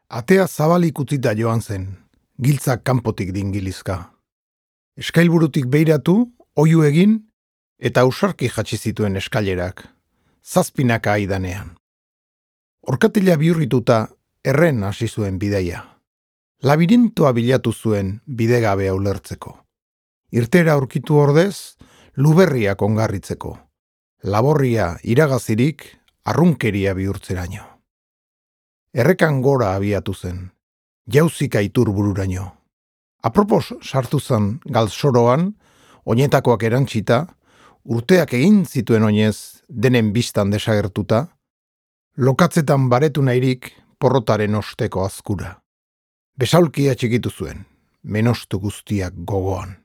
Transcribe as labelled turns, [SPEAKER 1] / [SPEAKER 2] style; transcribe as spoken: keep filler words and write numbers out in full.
[SPEAKER 1] Atea zabalik utzita joan zen, giltzak kanpotik dingilizka. Eskailburutik beiratu, oihu egin, eta ausarki jatsi zituen eskailerak, zazpinaka aidanean. Orkatila bihurrituta, erren hasi zuen bidaia. Labirintoa bilatu zuen bidegabea ulertzeko. Irtera aurkitu ordez, luberriak ongarritzeko. Laborria iragazirik, arrunkeria bihurtzeraino. Errekan gora abiatu zen, jauzika iturbururaino. Apropos sartu zen galzoroan, oinetakoak erantsita, urteak egin zituen oinez denen bistan desagertuta, lokatzetan baretu nahirik porrotaren osteko azkura. Besaulkia txikitu zuen, menostu guztiak gogoan.